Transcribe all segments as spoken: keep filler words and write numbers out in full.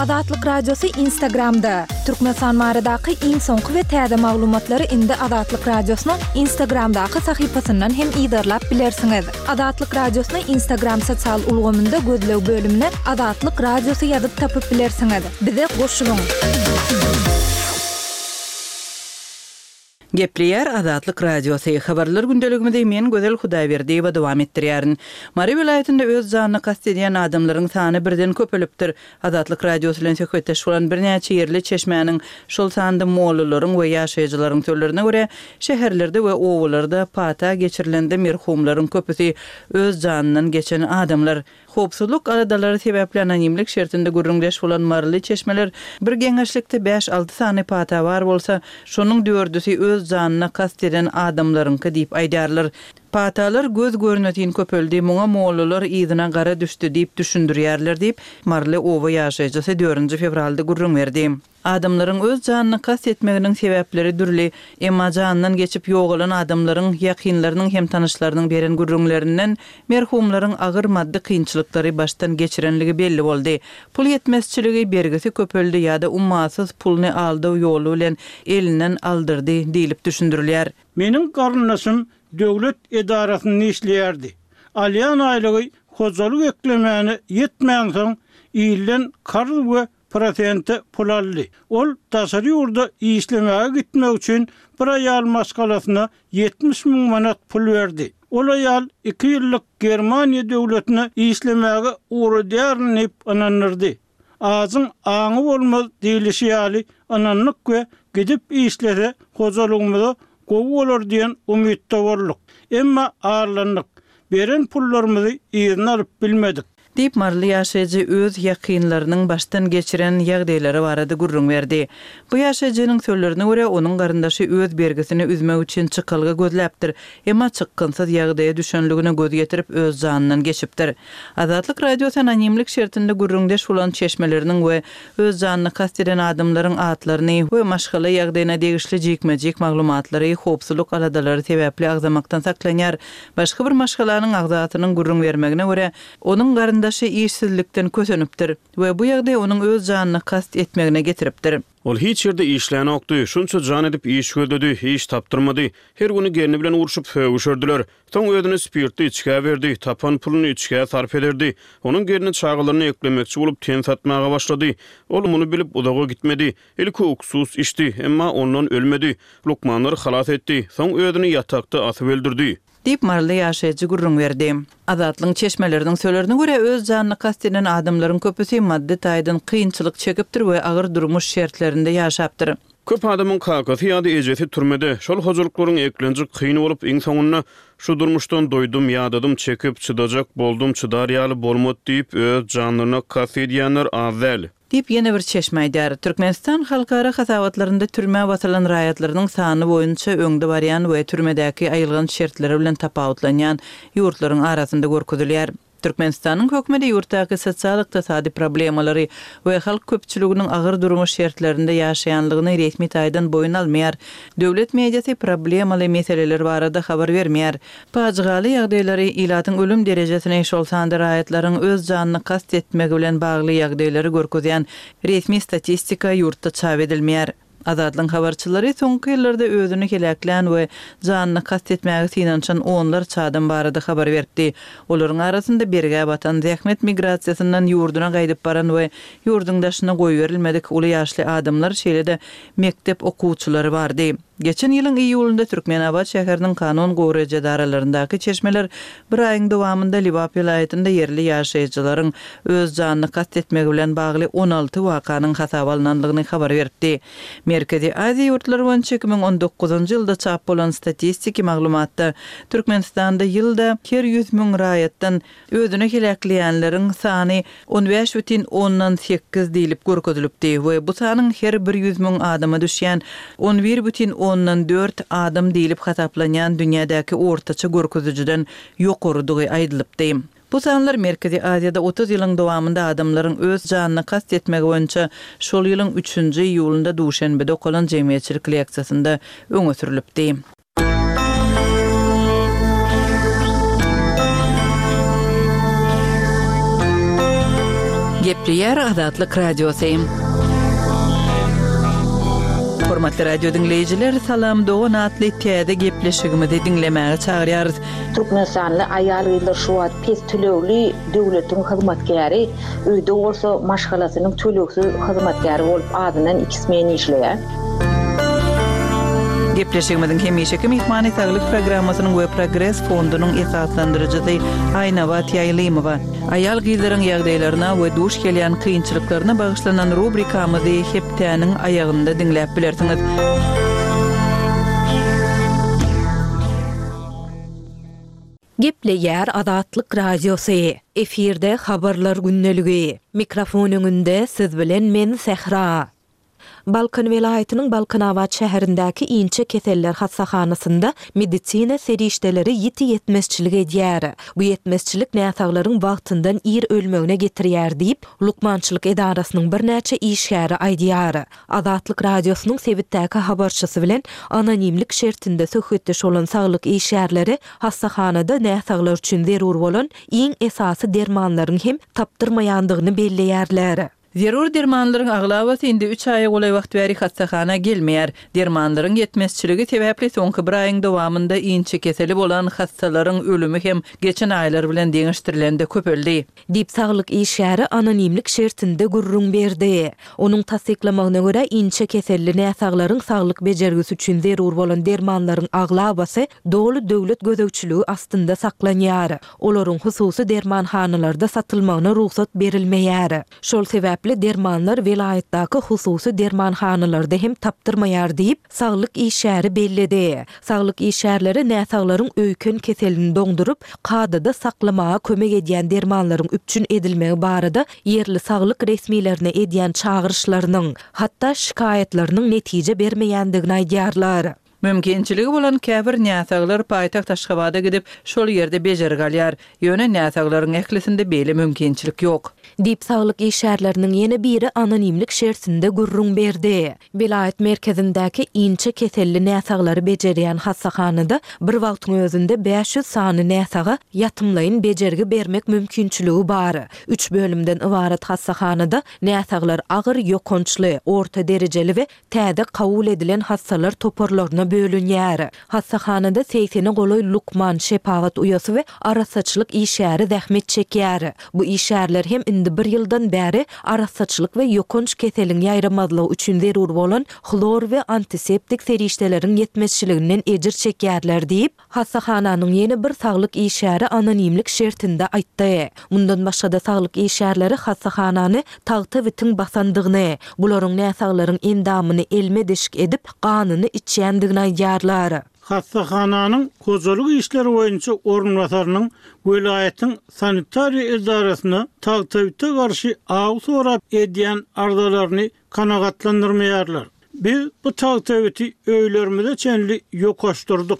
Azatlyk Radiosy Instagramda! Türkmenistan baradaky iň soňky we täze maglumatlary indi Azatlyk Radiosynyň Instagramdaky sahypasyndan hem yzarlap bilersiňiz. Azatlyk Radiosyny Instagram sosial ulgamynda gözleg bölümine Azatlyk Radiosy ýazyp tapyp bilersiňiz. Bize goşulyň! Gepleýär Azatlyk Radiosy, Habarlar gündeligimizi men Gözel Hudaýberdiýewa dowam etdirýärin. Mary welaýatynda öz janyna kast edýän adamlaryň sany birden köpelipdir. Azatlyk Radiosy bilen söhbetdeş bolan birnäçe ýerli çeşmäniň, şol sanda mollalaryň we ýaşaýjylaryň sözlerine görä, şäherlerde we obalarda pata geçirilende merhumlaryň köpüsi öz janyndan geçen adamlar. Howpsuzlyk aladalary sebäpli anonimlik şertinde gürrüňdeş bolan maryly çeşmeler bir geňeşlikde bäş-alty sany pata bar bolsa, şonuň dördüsi öz janyna kast eden adamlaryňky diýip aýdýarlar. Patalar göz görnetin köpeldi, muňa mollalar yzyna gara düşdi diýip düşündirýärler diýip, maryly oba ýaşaýjysy dördünji fewralda gürrüň berdi. Adamlaryň öz janyna kast etmeginiň sebäpleri dürli, emma janyndan geçip ýogalan adamlaryň ýakynlarynyň hem tanyşlarynyň beren gürrüňlerinden merhumlaryň agyr maddy kynçylyklary başdan geçirenligi belli boldy. Pul ýetmezçiligi, bergisi köpeldi ýa-da ummasyz puluny aldaw ýoly bilen elinden aldyrdy diýlip düşündirilýär. Meniň garyndaşym döwlet edarasynda işleýärdi. Alýan aýlygy hojalyk eklemäne ýetmänsoň, ilden karz we prosente pul aldy. Ol daşary ýurda işlemäge gitmek üçin bir aýal maşgalasyna ýetmiş müň manat pul berdi. Ol aýal iki ýyllyk Germaniýa döwletine işlemäge ugradýaryn diýip ynandyrdy. Ajyň aňy bolmaz diýlişi ýaly, ynandyk we gidip işlese hojalygymyza gowy bolar diýen umytda bolduk. Emma aldandyk. Beren pullarymyzy yzyna alyp bilmedik. Diýip, maryly ýaşaýjy öz ýakynlarynyň başdan geçiren ýagdaýlary barada gürrüň berdi. Bu ýaşaýjynyň sözlerine görä, onuň garyndaşy öz bergisini üzmek üçin çykalga gözläpdir, emma çykgynsyz ýagdaýa düşenligine göz ýetirip, öz janyndan geçipdir. Azatlyk Radiosy anonimlik şertinde gürrüňdeş bolan çeşmeleriniň we öz janyna kast eden adamlaryň atlaryny we maşgala ýagdaýyna degişli jikme-jik maglumatlary howpsuzlyk aladalary sebäpli agzamakdan saklanýar. Başga bir maşgalanyň agzasynyň gürrüň bermegine görä, onuň garyndaşy işsizlikden kösenipdir we bu ýagdaý onuň öz janyna kast etmegine getiripdir. Ol hiç ýerde işlänokdy, şunça jan edip iş gözledi, iş tapdyrmady. Her güni gelni bilen urşup, sögüşerdiler. Soň özüni spirtli içgä berdi, tapan puluny içgä sarp ederdi. Onuň gelni çagalaryny eklemekçi bolup ten satmaga başlady. Ol muny bilip uzaga gitmedi. Ilki uksus içdi, emma ondan ölmedi. Lukmanlar halas etdi. Soň özüni ýatakda asyp öldürdi. Diýip, maryly ýaşaýjy gürrüň berdi. Azatlygyň çeşmeleriniň sözlerine görä, öz janyna kast eden adamlaryň köpüsi maddy taýdan kynçylyk çekipdir we agyr durmuş şertlerinde ýaşapdyr. Köp adamyň kakasy ýa-da ejesi türmede. Şol hojalyklaryň eklenji kyn bolup, iň soňunda Şu durmuşdan doýdum, ýadadym, çekip, çydajak boldum, çydar ýaly bolmady diýip, öz janlaryna kast edýänler az däl. Diýip, ýene bir çeşme aýdýar. Türkmenistan halkara hasabatlarynda türmä basylan raýatlarynyň sany boýunça öňde barýan we türmedäki aýylganç şertleri bilen tapawutlanýan ýurtlaryň arasynda görkezilýär. Türkmenistanyň hökümeti ýurtdaky sosial-ykdysady problemalary we halk köpçüliginiň agyr durmuş şertlerinde ýaşaýanlygyny resmi taýdan boýun almaýar. Döwlet mediasy problemaly meseleler barada habar bermeýär. Pajygaly ýagdaýlary, ilatyň ölüm derejesini, şol sanda raýatlaryň öz janyna kast etmegi bilen bagly ýagdaýlary görkezýän resmi statistika ýurtda çap edilmeýär. Azatlygyň habarçylary soňky ýyllarda özüni heläklän we janyna kast etmäge synanyşan onlarça adam barada habar beripdi. Olaryň arasynda bergä batan, zähmet migrasiýasyndan ýurduna gaýdyp baran we ýurduň daşyna goýberilmedik uly ýaşly adamlar, şeýle-de mekdep okuwçylary bardy. Geçen ýylyň iýulynda Türkmenabat şäheriniň kanun goraýjy edaralaryndaky çeşmeler bir aýyň dowamynda Lebap welaýatynda ýerli ýaşaýjylaryň öz janyna kast etmegi bilen bagly on alty wakanyň hasaba alnandygyny habar beripdi. Merkezi Aziýa ýurtlary boýunça iki müň on dokuzynjy ýylda çap bolan statistiki maglumatda Türkmenistanda ýylda her ýüz müň raýatdan özüni heläkleýänleriň sany on bäş bütin ondan sekiz diýlip görkezilipdi we bu sanyň her bir ýüz müň adama düşýän on bir bütin ondan dört adam diýlip hasaplanýan dünýädäki ortaça görkezijiden ýokarydygy aýdylypdy. Bu sanlar Merkezi Aziýada otuz ýylyň dowamynda adamlaryň öz janyna kast etmegi boýunça şol ýylyň üçünji iýulynda Duşenbede okalan jemgyýetçilik leksiýasynda öňe sürlüpdi. Gepleýär Azatlyk Radiosy. Hormatly radio diňleýjiler, Salam dogan atly täze gepleşigimizi diňlemäge çagyrýarys. Türkmenistanly aýal-gyzlar şu wagt pes tölegli döwletiň hyzmatkäri, öýde bolsa maşgalasynyň tölegsiz hyzmatkäri bolup azyndan iki smen işleýär. Gepleşigimiziň hemişeki myhmany Saglyk programmasynyň we Progres fondunyň esaslandyryjysy Aýnabat Ýaýlymowa. Aýal-gyzlaryň ýagdaýlaryna we duş gelýän kynçylyklaryna bagyşlanan rubrikamyzy hepdäniň aýagynda diňläp bilersiňiz. Gepleýär Azatlyk Radiosy. Efirde habarlar gündeligi. Mikrofon öňünde siz bilen men Sähra. Balkan welaýatynyň Balkanabat şäherindäki inçe keseller hassahanasynda medisina serişdeleri ýiti ýetmezçilik edýär. Bu ýetmezçilik näsaglaryň wagtyndan ir ölmegine getirýär diýip, lukmançylyk edarasynyň birnäçe işgäri aýdýar. Azatlyk Radiosynyň sebitdäki habarçysy bilen anonimlik şertinde söhbetdeş bolan saglyk işgärleri hassahanada näsaglar üçin zerur bolan iň esasy dermanlaryň hem tapdyrmaýandygyny belleýärler. Zerur dermanlaryň aglabasy indi üç aýa golaý wagt bäri hassahana gelmeýär. Dermanlaryň ýetmezçiligi sebäpli soňky bir aýyň dowamynda inçe keseli bolan hassalaryň ölümi hem geçen aýlar bilen deňeşdirilende köpeldi. Diýip saglyk işgäri anonimlik şertinde gürrüň berdi. Onuň tassyklamagyna görä inçe keselli näsaglaryň saglyk bejergisi üçin zerur bolan dermanlaryň aglabasy doly döwlet gözegçiligi astynda saklanýar. Olaryň hususy dermanhanalarda satylmagyna rugsat berilmeýär. Şol sebäpli dermanlar welaýatdaky hususy dermanhanalarda hem tapdyrmaýar diýip, saglyk işgäri belledi. Saglyk işgärleri näsaglaryň öýken keselini doňduryp, kadada saklamaga kömek edýän dermanlaryň üpjün edilmegi barada ýerli saglyk resmilerine edýän çagyryşlarynyň, hatda şikaýatlarynyň netije bermeýändigini aýdýarlar. Mümkinçiligi bolan käbir näsaglar paýtagt Aşgabada gidip, şol ýerde bejergi alýar. Ýöne näsaglaryň ählisinde beýle mümkinçilik ýok. Diýip saglyk işgärleriniň ýene biri anonimlik şertinde gürrüň berdi. Welaýat merkezindäki inçe keselli näsaglary bejerýän hassahanada bir wagtyň özünde bäş ýüz sany näsaga ýatymlaýyn bejergi bermek mümkinçiligi bar. Üç bölümden ybarat hassahanada näsaglar agyr ýokançly, orta derejeli we täze kabul edilen hassalar toparlaryna bölünýär. Hassahanada segsene golaý lukman, şepagat uýasy we arassaçylyk işgäri zähmet çekýär. Bu işgärler hem indi bir ýyldan bäri arassaçylyk we ýokanç keseliň ýaýramazlygy üçin zerur bolan hlor we antiseptik serişdeleriň ýetmezçiliginden ejir çekýärler diýip, hassahananyň ýene bir saglyk işgäri anonimlik şertinde aýtdy. Mundan başga-da saglyk işgärleri hassahanany tagta bitin basandygyny, bularyň näsaglaryň endamyny elme deşik edip, ganyny içýändigini aýdýarlar. Hassahananyň hojalyk işleri boýunça orunbasarynyň welaýatyň sanitariýa edarasyna tagtabite garşy aw sorap edýän arzalaryny kanagatlandyrmaýarlar. Biz bu tagtabiti öýlerimize çenli ýokaşdyrdyk.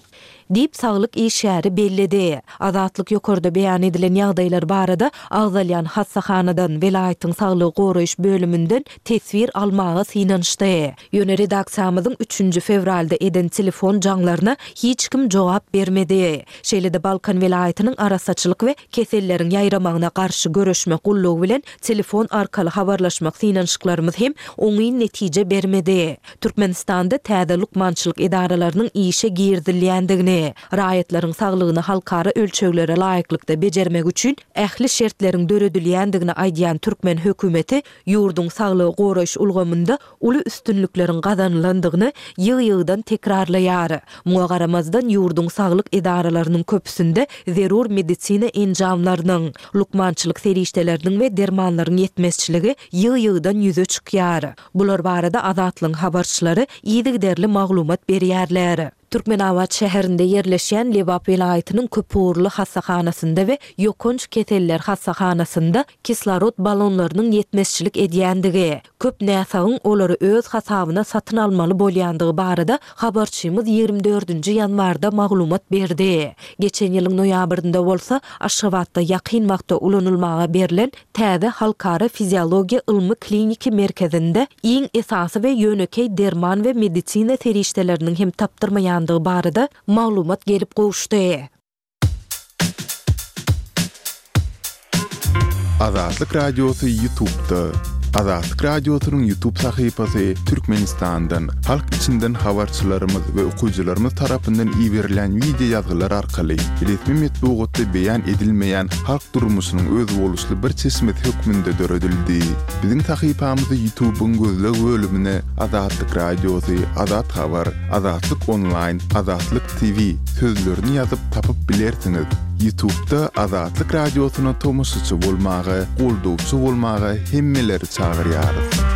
Diýip saglyk işgäri belledi. Azatlyk ýokarda beýan edilen ýagdaýlar barada agzalýan hassahanadan, welaýatyň saglygy goraýyş bölüminden teswir almaga synanyşdy. Ýöne redaksiýamyzyň üçünji fewralda eden telefon jaňlaryna hiç kim jogap bermedi. Şeýle-de Balkan welaýatynyň arassaçylyk we keselleriň ýaýramagyna garşy göreşmek gullugy bilen telefon arkaly habarlaşmak synanyşyklarymyz hem oňyn netije bermedi. Türkmenistanda täze lukmançylyk edaralarynyň işe girizilýändigini, raýatlaryň saglygyny halkara ölçeglere laýyklykda bejermek üçin ähli şertleriň döredilýändigini aýdýan türkmen hökümeti ýurduň saglygy goraýyş ulgamynda uly üstünlikleriň gazanylandygyny ýygy-ýygydan tekrarlaýar. Muňa garamazdan ýurduň saglyk edaralarynyň köpüsinde zerur medisina enjamlarynyň, lukmançylyk serişdeleriniň we dermanlaryň ýetmezçiligi ýygy-ýygydan ýüze çykýar. Bular barada Azatlygyň habarçylary yzygiderli maglumat berýärler. Türkmenabat şäherinde ýerleşýän Lebap welaýatynyň köpugurly hassahanasynda we ýokanç keseller hassahanasynda kislorod balonlarynyň ýetmezçilik edýändigi, köp näsagyň olary öz hasabyna satyn almaly bolýandygy barada habarçymyz ýigrimi dördünji ýanwarda maglumat berdi. Geçen ýylyň noýabrynda bolsa Aşgabatda ýakyn wagtda ulanylmaga berlen täze halkara fiziologiýa ylmy kliniki merkezinde iň esasy we ýönekeý derman we medisina serişdeleriniň hem tapdyrmaýandygy barada maglumat gelip gowuşdy. Azatlyk Radiosy YouTube'da. Azatlyk Radiosynyň YouTube sahypasy Türkmenistandan, halk içinden habarçylarymyz we okyjylarymyz tarapyndan iberilen wideo ýazgylar arkaly resmi metbugatda beýan edilmeýän halk durmuşynyň özboluşly bir çeşmesi hökmünde döredildi. Biziň sahypamyzy YouTube'yň gözleg bölümine Azatlyk Radiosy, Azat Habar, Azatlyk Online, Azatlyk T V sözlerini ýazyp tapyp bilersiňiz. YouTube'da Azatlyk Radiosyna tomaşaçy bolmaga, goldawçy bolmaga hemmeleri çagyrýarys.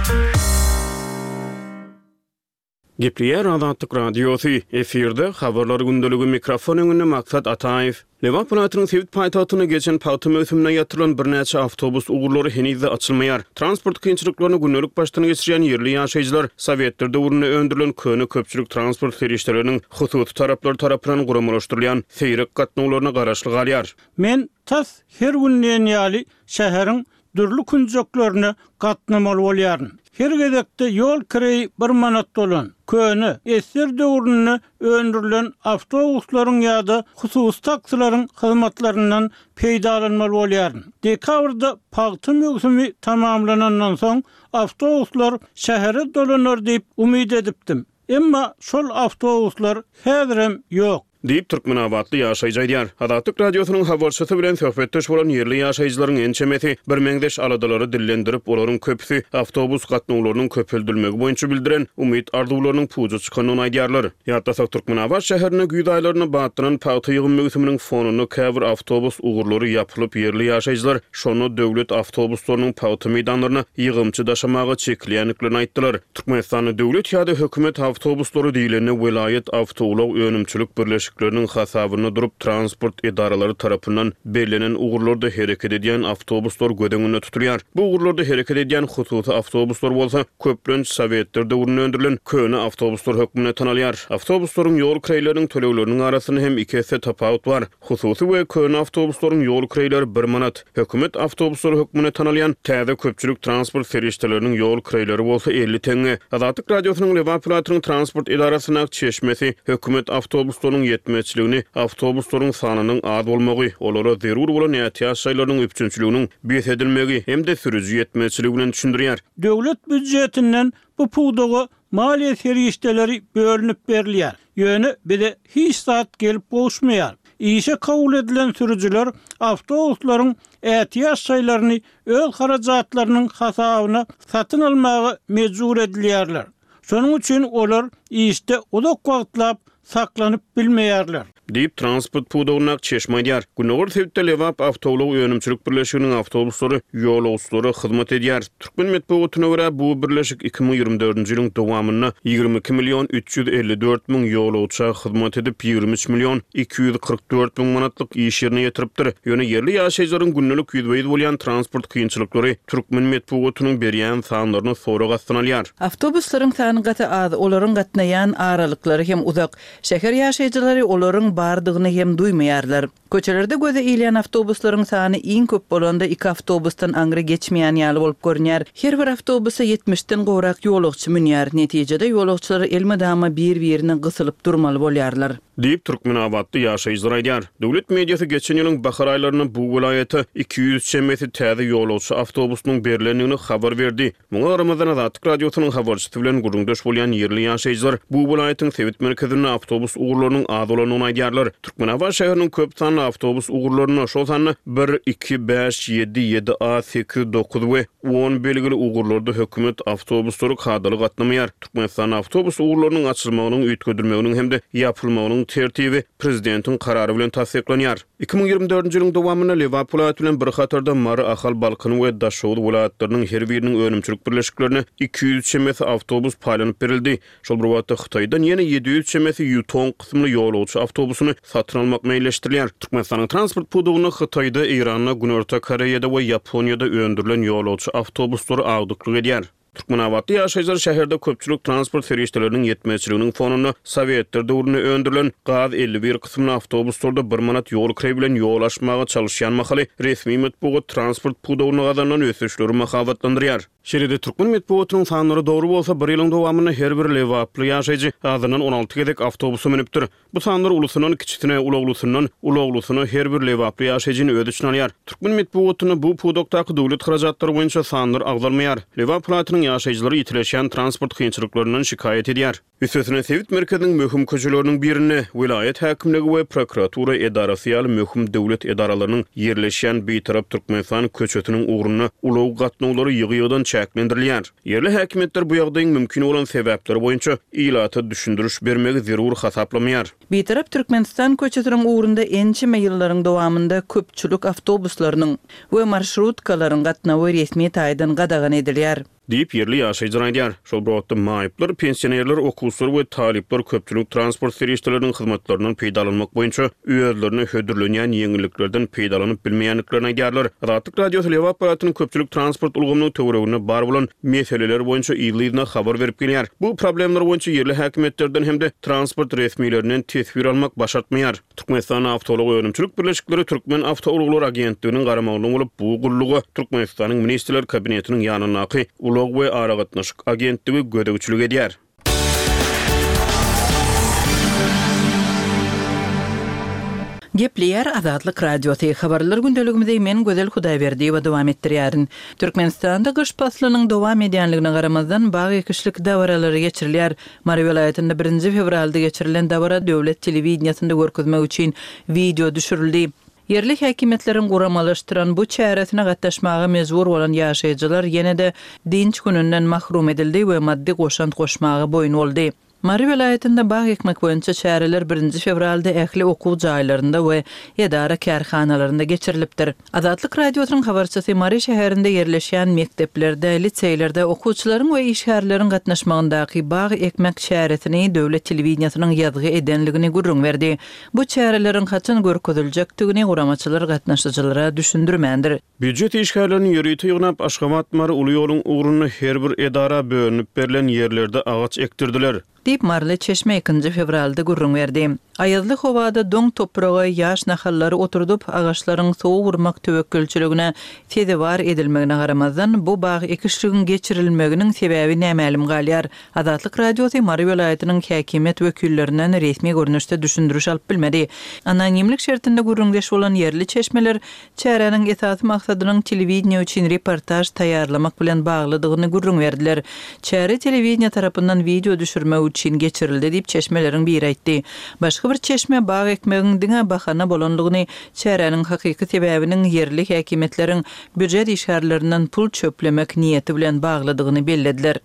Gepleýär Azatlyk Radiosy, efirde Habarlar gündeligi, mikrofon öňünde Maksat Ataýew. Lebap welaýatynyň sebit paýtagtynda geçen pagta möwsüminde ýatyrylan birnäçe awtobus ugurlary heniz-de açylmaýar. Transport kynçylyklaryny gündelik başdan geçirýän ýerli ýaşaýjylar sowetler döwründe öndürilen köne köpçülik transport serişdeleriniň hususy taraplar tarapyndan guramalaşdyrylýan seýrek gatnawlaryna garaşly galýar. Men tas her gün diýen ýaly şäheriň dürli künjeklerine gatnamaly bolýaryn. Her gezekde ýol kireýi bir manat bolan, köne, esser döwründe öndürilen awtobuslaryň ýa-da hususy taksilaryň hyzmatlaryndan peýdalanmaly bolýaryn. Dekabrda pagta möwsümi tamamlanandan soň awtobuslar şähere dolanar diýip umyt edipdim. Emma şol awtobuslar häzirem ýok. Diýip, türkmenabatly ýaşaýjy aýdýar. Azatlyk Radiosynyň habarçysy bilen söhbetdeş bolan ýerli ýaşaýjylaryň ençemesi birmeňzeş aladalary dillendirip, olaryň köpüsi awtobus gatnawlarynyň köpeldilmegi boýunça bildiren umyt-arzuwlarynyň puja çykandygyny aýdýarlar. Ýatlasak, Türkmenabat şäherinde güýz aýlarynda batlanan pagta ýygym möwsüminiň fonunda käbir awtobus ugurlary ýapylyp, ýerli ýaşaýjylar şonda döwlet awtobuslarynyň pagta meýdanlaryna ýygymçy daşamaga çekilýändiklerini aýtdylar. Türkmenistanda döwlet ýa-da hökümet awtobuslary diýlende welaýat awtoulag önümçilik birleşikleriniň hasabynda durup, transport edaralary tarapyndan bellenen ugurlarda hereket edýän awtobuslar göz öňünde tutulýar. Bu ugurlarda hereket edýän hususy awtobuslar bolsa köplenç sowetler döwründe öndürilen köne awtobuslar hökmünde tanalýar. Awtobuslaryň ýol kireýleriniň tölegleriniň arasynda hem iki esse tapawut bar. Hususy we köne awtobuslaryň ýol kireýleri bir manat, hökümet awtobuslary hökmünde tanalýan täze köpçülik transport serişdeleriniň ýol kireýleri bolsa elli teňňe. Azatlyk Radiosynyň Lebap welaýatynyň transport edarasynyň çeşmesi hökümet awtobuslarynyň ýetmezçiligini awtobuslaryň sanynyň az bolmagy, olara zerur bolan ätiýaç şaýlarynyň üpjünçiliginiň bes edilmegi hem-de sürüji ýetmezçiligi bilen düşündirýär. Döwlet býujetinden bu pudaga maliýe serişdeleri bölünip berilýär. Ýöne bize hiç zat gelip gowuşmaýar. Işe kabul edilen sürüjiler awtobuslaryň ätiýaç şaýlaryny öz harajatlarynyň hasabyna satyn almaga mejbur edilýärler. Şonuň üçin olar işde uzak wagtlap saklanyp bilmeýärler. Diýip, transport pudagyndaky çeşme aýdýar. Gündogar sebitde Lebap awtoulag önümçilik birleşiginiň awtobuslary ýolagçylara hyzmat edýär. Türkmen metbugatyna görä, bu birleşik iki müň ýigrimi dördünji ýylyň dowamynda ýigrimi iki million üç ýüz elli dört müň ýolagça hyzmat edip, ýigrimi üç million iki ýüz kyrk dört müň manatlyk iş ýerine ýetiripdir. Ýöne ýerli ýaşaýjylaryň gündelik ýüzbe-ýüz bolýan transport kynçylyklary türkmen metbugatynyň berýän sanlaryny sorag astyna alýar. Awtobuslaryň sany gaty az, olaryň gatnaýan aralyklary hem uzak. Şäher ýaşaýjylary olaryň bardygyny hem duýmaýarlar. Köçelerde göze ilýän awtobuslaryň sany iň köp bolanda iki awtobusdan aňry geçmeýän ýaly bolup görünýär. Her bir awtobusa ýetmişden gowrak ýolagçy münýär. Netijede ýolagçylar elmydama bir-birine gysylyp durmaly bolýarlar. Diýip, türkmenabatly ýaşaýjylar aýdýar. Döwlet mediasy geçen ýylyň bahar aýlarynda bu welaýata iki ýüz çemesi täze ýolagçy awtobusynyň berlendigini habar berdi. Muňa garamazdan Azatlyk Radiosynyň habarçysy bilen gürrüňdeş bolýan ýerli ýaşaýjylar bu welaýatyň sebit merkezinde awtobus ugurlarynyň az bolandygyny aýdýarlar. Türkmenabat şäheriniň köp sanly awtobus ugurlarynda, şol sanda bir, iki, bäş, ýedi, ýedi A, sekiz, dokuz we on belgili ugurlarda hökümet awtobuslary kadaly gatnamaýar. Türkmenistanda awtobus ugurlarynyň açylmagynyň, üýtgedilmeginiň hem-de ýapylmagynyň tertibi prezidentiň karary bilen tassyklanýar. Iki müň ýigrimi dördünji ýylyň dowamynda Lebap welaýaty bilen bir hatarda Mary, Ahal, Balkan we Daşoguz welaýatlarynyň her biriniň önümçilik birleşiklerine iki ýüz çemesi awtobus paýlanyp berildi. Şol bir wagtda Hytaýdan ýene ýedi ýüz çemesi Yutong kysymly ýolagçy awtobusyny satyn almak meýilleşdirilýär. Türkmenistanyň transport pudagynda Hytaýda, Eýranda, Günorta Koreýada we Ýaponiýada öndürilen ýolagçy awtobuslary agdyklyk edýär. Türkmenabatly ýaşaýjylar şäherde köpçülik transport serişdeleriniň ýetmezçiliginiň fonunda Sowetler döwründe öndürilen GAZ elli bir kysymly awtobuslarda bir manat ýol kireý bilen ýol aşmaga çalyşýan mahaly resmi metbugat transport pudagynda gazanylan ösüşleri mahabatlandyrýar. Şeýle-de türkmen metbugatynyň sanlary dogry bolsa, bir ýylyň dowamynda her bir lebaply ýaşaýjy azyndan on alty gezek awtobusa münüpdir. Bu sanlar ulusyndan kiçisine, ulaglysyndan ulaglysyna her bir lebaply ýaşaýjyny öz içine alýar. Türkmen metbugatynda bu pudakdaky döwlet harajatlary boýunça sanlar agzalmaýar. Lebap welaýatynyň ýaşaýjylary ýitileşýän transport kynçylyklaryndan şikaýat edýär. Üstesine sebit merkeziniň möhüm köçeleriniň birinde welaýat häkimligi we prokuratura edarasy ýaly möhüm döwlet edaralarynyň ýerleşýän Bitarap Türkmenistan köçesiniň ugrunda ulag gatnawlary ýygy-ýygydan çäklendirilýär. Ýerli häkimiýetler bu ýagdaýyň mümkin bolan sebäpleri boýunça ilata düşündiriş bermegi zerur hasaplamaýar. Bitarap Türkmenistan köçesiniň ugrunda ençeme ýyllaryň dowamynda köpçülik awtobuslarynyň we marşrutkalaryň gatnawy resmi taýdan gadagan edilýär. Diýip, ýerli ýaşaýjylar aýdýar. Şol bir wagtda maýyplar, pensionerler, okuwçylar we talyplar köpçülik transport serişdeleriniň hyzmatlaryndan peýdalanmak boýunça özlerine hödürlenýän ýeňilliklerden peýdalanyp bilmeýändiklerini aýdýarlar. Azatlyk Radiosy Lebap welaýatynyň köpçülik transport ulgamynyň töwereginde bar bolan meseleler boýunça yzly-yzyna habar berip gelýär. Bu problemler boýunça ýerli häkimiýetlerden hem-de transport resmilerinden teswir almak başartmaýar. Türkmenistan Awtoulag önümçilik birleşikleri Türkmen Awtoulaglar agentliginiň garamagynda bolup, bu gulluga Türkmenistanyň Ministrler Kabinetiniň ýanyndaky Ulag we aragatnaşyk agentligi gözegçilik edýär. Gepleýär Azatlyk Radiosy. Habarlar gündeligimizi men Gözel Hudaýberdiýewa dowam etdirýärin. Türkmenistanda gyş paslynyň dowam edýänligine garamazdan bag ekişlik dabaralary geçirilýär. Mary welaýatynda birinji fewralda geçirilen dabara döwlet telewideniýesinde görkezmek üçin wideo düşürildi. Ýerli häkimiýetleriň guramalaşdyran bu çäresine gatnaşmaga mejbur bolan ýaşaýjylar ýene-de dinç gününden mahrum edildi we maddy goşant goşmaga boýun boldy. Mary welaýatynda bag ekmek boýunça çäreler birinji fewralda ähli okuw jaýlarynda we edara kärhanalarynda geçirilipdir. Azatlyk Radiosynyň habarçysy Mary şäherinde ýerleşýän mekdeplerde, liseýlerde okuwçylaryň we işgärleriň gatnaşmagyndaky bag ekmek çäresini döwlet telewideniýesiniň ýazgy edenligini gürrüň berdi. Bu çäreleriň haçan görkeziljekdigini guramaçylar gatnaşyjylara düşündirmändir. Býujet işgärlerini ýörite ýygnap Aşgabat Mary uly ýoluň ugrunda her bir edara bölünip berlen ýerlerde agaç ekdirdiler. Diýip Maryly çeşme ikinji fewralda gürrüň berdi. Aýazly howada doň topraga ýaş nahallary oturdyp, agaçlaryň soğuk urmak töwekgelçiligine sezewar edilmegine garamazdan bu bag ekişligiň geçirilmeginiň sebäbi nämälim galýar. Azatlyk Radiosy Mary welaýatynyň häkimiýet wekillerinden resmi görnüşde düşündiriş alyp bilmedi. Anonimlik şertinde gürrüňdeş bolan ýerli çeşmeler çäräniň esasy maksadynyň telewideniýe üçin reportaž taýýarlamak bilen baglydygyny gürrüň berdiler. Çäre telewideniýe tarapyndan wideo düşürmek üçin geçirildi diýip çeşmeleriň biri aýtdy. Başga bir çeşme bag ekmegiň diňe bahana bolanlygyny, çäräniň hakyky sebäbiniň ýerli häkimiýetleriň býujet işgärlerinden pul çöplemek niýeti bilen baglydygyny bellediler.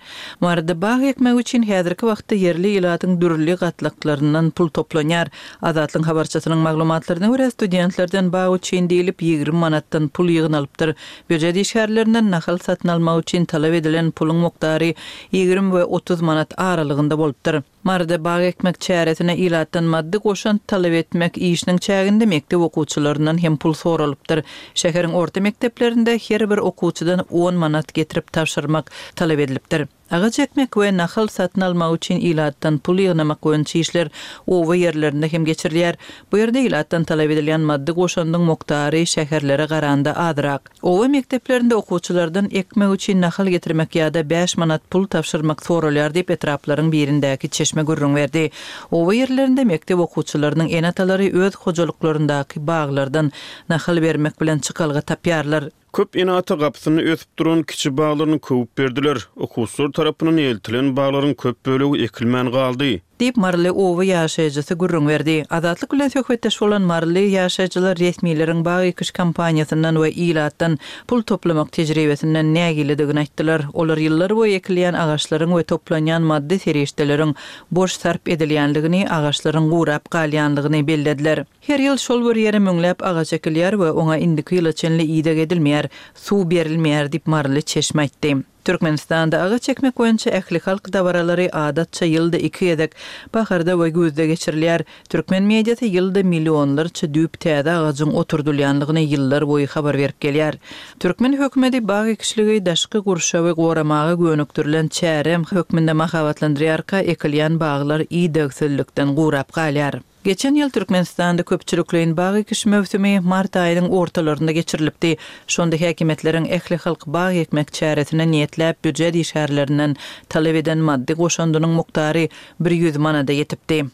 Maryda bag ekmek üçin häzirki wagtda ýerli ilatyň dürli gatlaklaryndan pul toplanýar. Azatlyk habarçysynyň maglumatlaryna görä studentlerden bag üçin diýilip ýigrimi manatdan pul ýygnalypdyr. Býujet işgärlerinden nahal satyn almak üçin talap edilen puluň mukdary ýigrimi we otuz manat aralygynda bolupdyr. Maryda bag ekmek çäresine ilatdan maddy goşant talap etmek işiniň çäginde mekdep okuwçylaryndan hem pul soralypdyr. Şäheriň orta mekdeplerinde her bir okuwçydan on manat getirip tabşyrmak talap edilipdir. Agaç ekmek we nahal satyn almak üçin ilatdan pul ýygnamak boýunça işler oba ýerlerinde hem geçirilýär. Bu ýerde ilatdan talap edilýän maddy goşandyň mukdary şäherlere garanda azrak. Oba mekdeplerinde okuwçylardan ekmek üçin nahal getirmek ýa-da bäş manat pul tabşyrmak soralýar diýip etraplaryň birindäki çeşme gürrüň berdi. Oba ýerlerinde mekdep okuwçylarynyň ene-atalary öz hojalyklaryndaky baglardan nahal bermek bilen çykalga tapýarlar. Köp ene-ata gapysyny ösüp duran kiçi baglaryny köwüp berdiler. Okuwçylar tarapyndan eltilen baglaryň köp bölegi ekilmän galdy. Diýip Maryly oba ýaşaýjysy gürrüň berdi. Azatlyk bilen söhbetdeş bolan Maryly ýaşaýjylar resmileriň bag ekiş kampaniýasyndan we ilatdan pul toplamak tejribesinden nägiledigini aýtdylar. Olar ýyllar boýy ekilýän agaçlaryň we toplanýan maddy serişdeleriň boş sarp edilýänligini, agaçlaryň gurap galýanlygyny bellediler. Her ýyl şol bir ýere müňläp agaç ekilýär we oňa indiki ýyla çenli ideg edilmeýär, suw berilmeýär diýip Maryly çeşme aýtdy. Türkmenistanda agaç ekmek boýunça ählihalk dabaralary adatça ýylda iki gezek, baharda we güýzde geçirilýär. Türkmen mediasy ýylda millionlarça düýp täze agajyň oturdylýanlygyny ýyllar boýy habar berip gelýär. Türkmen hökümeti bag ekişligi daşky gurşawy goramaga gönükdirilen çäre hökmünde mahabatlandyrýarka, ekilýän baglar idegsizlikden gurap galýar. Geçen ýyl Türkmenistanda köpçülikleýin bag ekiş möwsümi mart aýynyň ortalarynda geçirilipdi. Şonda häkimiýetleriň ählihalk bag ekmek çäresine niýetläp býujet işgärlerinden talap eden maddy goşundynyň mukdary bir ýüz manada ýetipdi.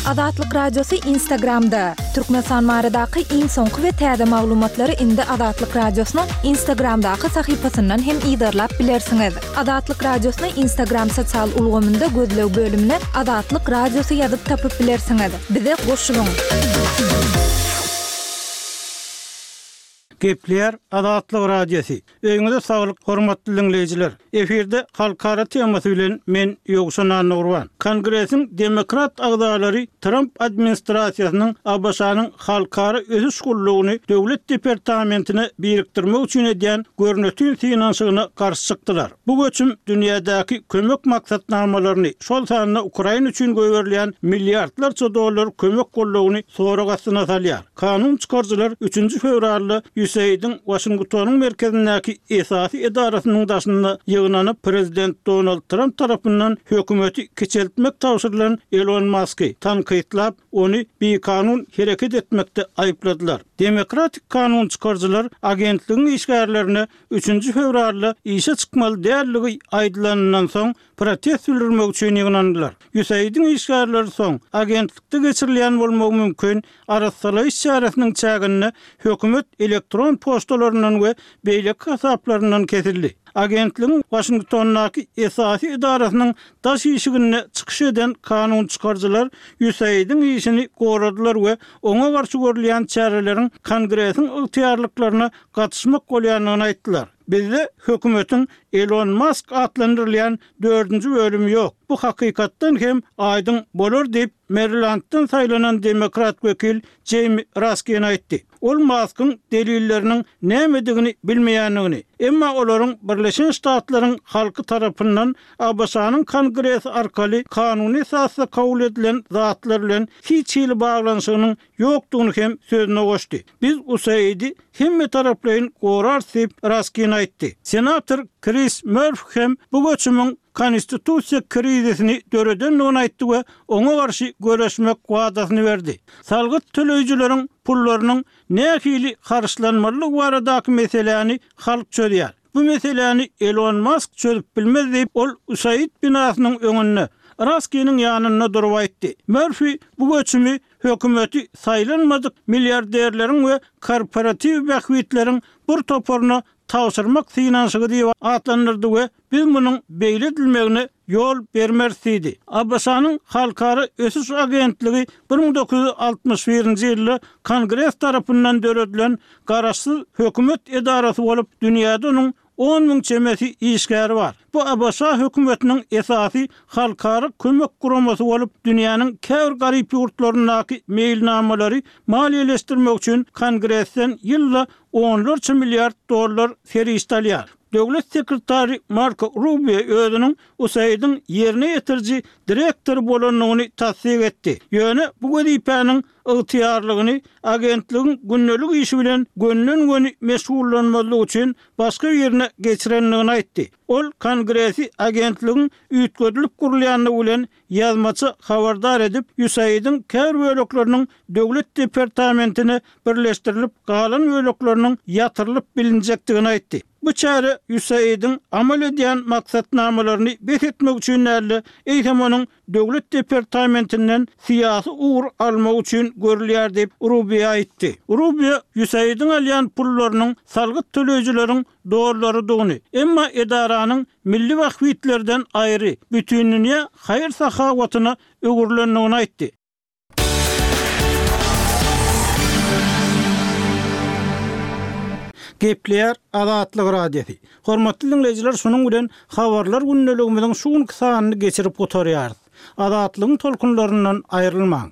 Azatlyk Radiosy Instagramda. Türkmenistan baradaky iň soňky we täze maglumatlary indi Azatlyk Radiosynyň Instagramdaky sahypasyndan hem yzarlap bilersiňiz. Azatlyk Radiosyny Instagram sosial ulgamynda gözleg bölümine Azatlyk Radiosy ýazyp tapyp bilersiňiz. Bize goşulyň. Gepleýär Azatlyk Radiosy. Öýüňize saglyk, hormatly diňleýjiler. Efirde halkara temasy bilen men Ýowşan Annagurban. Kongresiň demokrat agzalary Tramp administrasiýasynyň ABŞ-nyň halkara ösüş gullugyny döwlet departamentine birikdirmek üçin edýän görnetin synanyşygyna garşy çykdylar. Bu göçüm dünýädäki kömek maksatnamalaryny, şol sanda Ukraina üçin goýberilýän milliardlarça dollar kömek gullugyny sorag astyna salýar. Kanun çykaryjylar üçünji fewralda USAID-iň Waşingtonyň merkezindäki esasy edarasynyň daşynda ýygnanyp, prezident Donald Tramp tarapyndan hökümeti kiçeltmek tabşyrylan Elon Musky tankytlap, ony bikanun hereket etmekde aýypladylar. Demokratik kanun çykaryjylar agentligiň işgärlerine üçünji fewralda işe çykmaly dälligi aýdylanyndan soň protest bildirmek üçin ýygnandylar. USAID-iň işgärleri soň agentlikde geçirilýän bolmagy mümkin arassalaýyş çäresiniň çäginde hökümet elektron poçtalaryndan we beýleki hasaplaryndan kesildi. Agentligiň Waşingtondaky esasy edarasynyň daş işiginde çykyş eden kanun çykaryjylar USAID-iň işini goradylar we oňa garşy görülýän çäreleriň Kongresiň ygtyýarlyklaryna gatyşmak bolýandygyny aýtdylar. Bizde hökümetiň Elon Musk atlandyrylýan dördünji bölümi ýok. Bu hakykatdan hem aýdyň bolar diýip, Marylanddan saýlanan demokrat wekil Jamie Raskin aýtdy. Ol Muskyň delilleriniň nämedigini bilmeýändigini, emma olaryň Birleşen Ştatlaryň halky tarapyndan ABŞ-nyň Kongresi arkaly kanuny esasda kabul edilen zatlar bilen hiç hili baglanyşygynyň ýokdugyny hem sözüne goşdy. Biz USAID-i hemme taraplaýyn gorarys diýip Raskin aýtdy. Senator Chris Murphy hem bu göçümiň konstitusiýa krizisini döredendigini aýtdy we oňa garşy göreşmek wadasyny berdi. Salgyt töleýjileriň pullarynyň nähili harçlanmalydygy baradaky meseläni halk çözýär. Bu meseläni Elon Musk çözüp bilmez diýip, ol USAID binasynyň öňünde Raskiniň ýanynda durup aýtdy. Murphy bu göçümi hökümeti saýlanmadyk milliarderleriň we korporatiw bähbitleriň bir toparyna tabşyrmak synanyşygy diýip atlandyrdy we biz munuň beýle edilmegine ýol bermeris diýdi. ABŞ-nyň Halkara ösüş agentligi bir müň dokuz ýüz altmyş birinji ýylda Kongres tarapyndan döredilen garaşsyz hökümet edarasy bolup, dünýäde onuň on müň çemesi işgäri bar. Bu ABŞ hökümetiniň esasy halkara kömek guramasy bolup, dünýäniň käbir garyp ýurtlaryndaky meýilnamalary maliýeleşdirmek üçin Kongresden ýylda onlarça milliard dollar serişde alýar. Döwlet sekretary Marko Rubio özüniň USAID-iň ýerine ýetiriji direktory bolandygyny tassyk etdi. Ýöne bu wezipäniň ygtyýarlygyny agentligiň gündelik işi bilen gönden-göni meşgullanmazlyk üçin başga birine geçirendigini aýtdy. Ol Kongresi agentligiň üýtgedilip gurulýandygy bilen ýazmaça habardar edip, USAID-iň käbir bölekleriniň döwlet departamentine birleşdirilip galan bölekleriniň ýatyrylyp bilinjekdigini aýtdy. Bu çäre USAID-iň amal edýän maksatnamalaryny bes etmek üçin däldi, eýsem onuň döwlet departamentinden syýasy ugur almak üçin görülýär diýip Rubio aýtdy. Rubio USAID-iň alýan pullarynyň salgyt töleýjileriň dollarydygyny, emma edaranyň milli bähbitlerden aýry bütindünýä haýyr-sahawatyna öwrülendigini aýtdy. Gepleýär Azatlyk Radiosy. Hormatly dinleýjiler, şunuň bilen habarlar gündeligimiziň şu günki sanyny geçirip gutarýarys. Azatlygyň tolkunlaryndan aýrylmaň.